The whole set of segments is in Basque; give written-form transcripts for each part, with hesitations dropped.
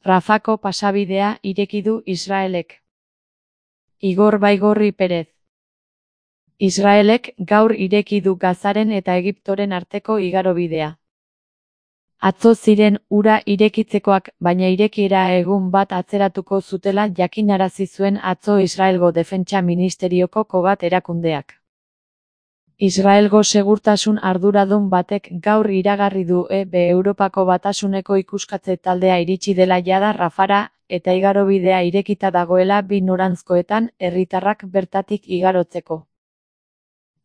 Rafako pasabidea ireki du Israelek. Igor Baigorri Perez. Israelek gaur ireki du Gazaren eta Egiptoren arteko igarobidea. Atzo ziren ura irekitzekoak, baina irekiera egun bat atzeratuko zutela jakinarazi zuen atzo Israelgo Defentsa Ministerioko Kogat erakundeak. Israelgo segurtasun arduradun batek gaur iragarri du Europako Batasuneko ikuskatze taldea iritsi dela jada Rafara, eta igarobidea irekita dagoela bi noranzkoetan herritarrak bertatik igarotzeko.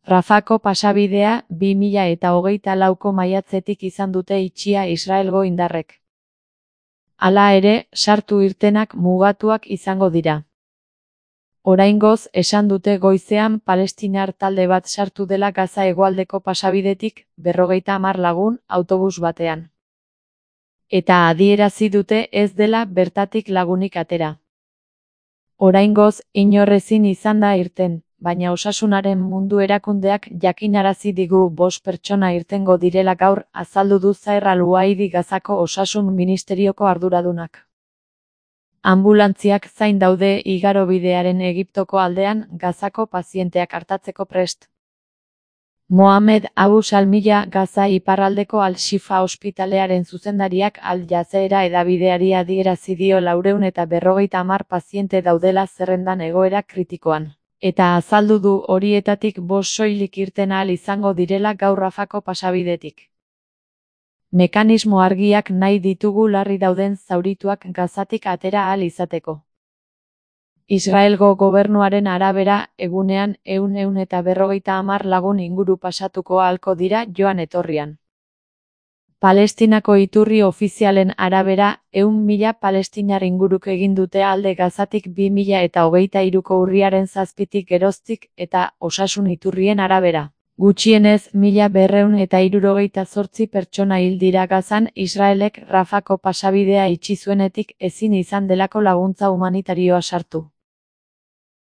Rafako pasabidea 2024ko maiatzetik izan dute itxia Israelgo indarrek. Hala ere, sartu irtenak mugatuak izango dira. Oraingoz, esan dute goizean palestinar talde bat sartu dela Gaza hegoaldeko pasabidetik 50 lagun autobus batean. Eta adierazi dute ez dela bertatik lagunik atera. Oraingoz, inor ezin izan da irten, baina Osasunaren Mundu Erakundeak jakinarazi digu 5 pertsona irtengo direla gaur, azaldu du Zaher Al-Uaidi Gazako Osasun Ministerioko arduradunak. Anbulantziak zain daude igarobidearen Egiptoko aldean Gazako pazienteak artatzeko prest. Mohamed Abu Salmiya Gaza iparraldeko Al-Shifa ospitalearen zuzendariak Al Jazeera hedabideari adierazi dio 450 paziente daudela zerrendan egoera kritikoan. Eta azaldu du horietatik 5 soilik irten ahal izango direla gaur Rafako pasabidetik. Mekanismo argiak nahi ditugu larri dauden zaurituak Gazatik atera ahal izateko. Israelgo gobernuaren arabera, egunean 150 lagun inguru pasatuko ahalko dira joan etorrian. Palestinako iturri ofizialen arabera, 100.000 palestinar inguruk egin dute alde Gazatik 2023ko urriaren 7tik geroztik, eta osasun iturrien arabera. Gutxienez 1278 pertsona hil dira Gazan Israelek Rafako pasabidea itxi zuenetik ezin izan delako laguntza humanitarioa sartu.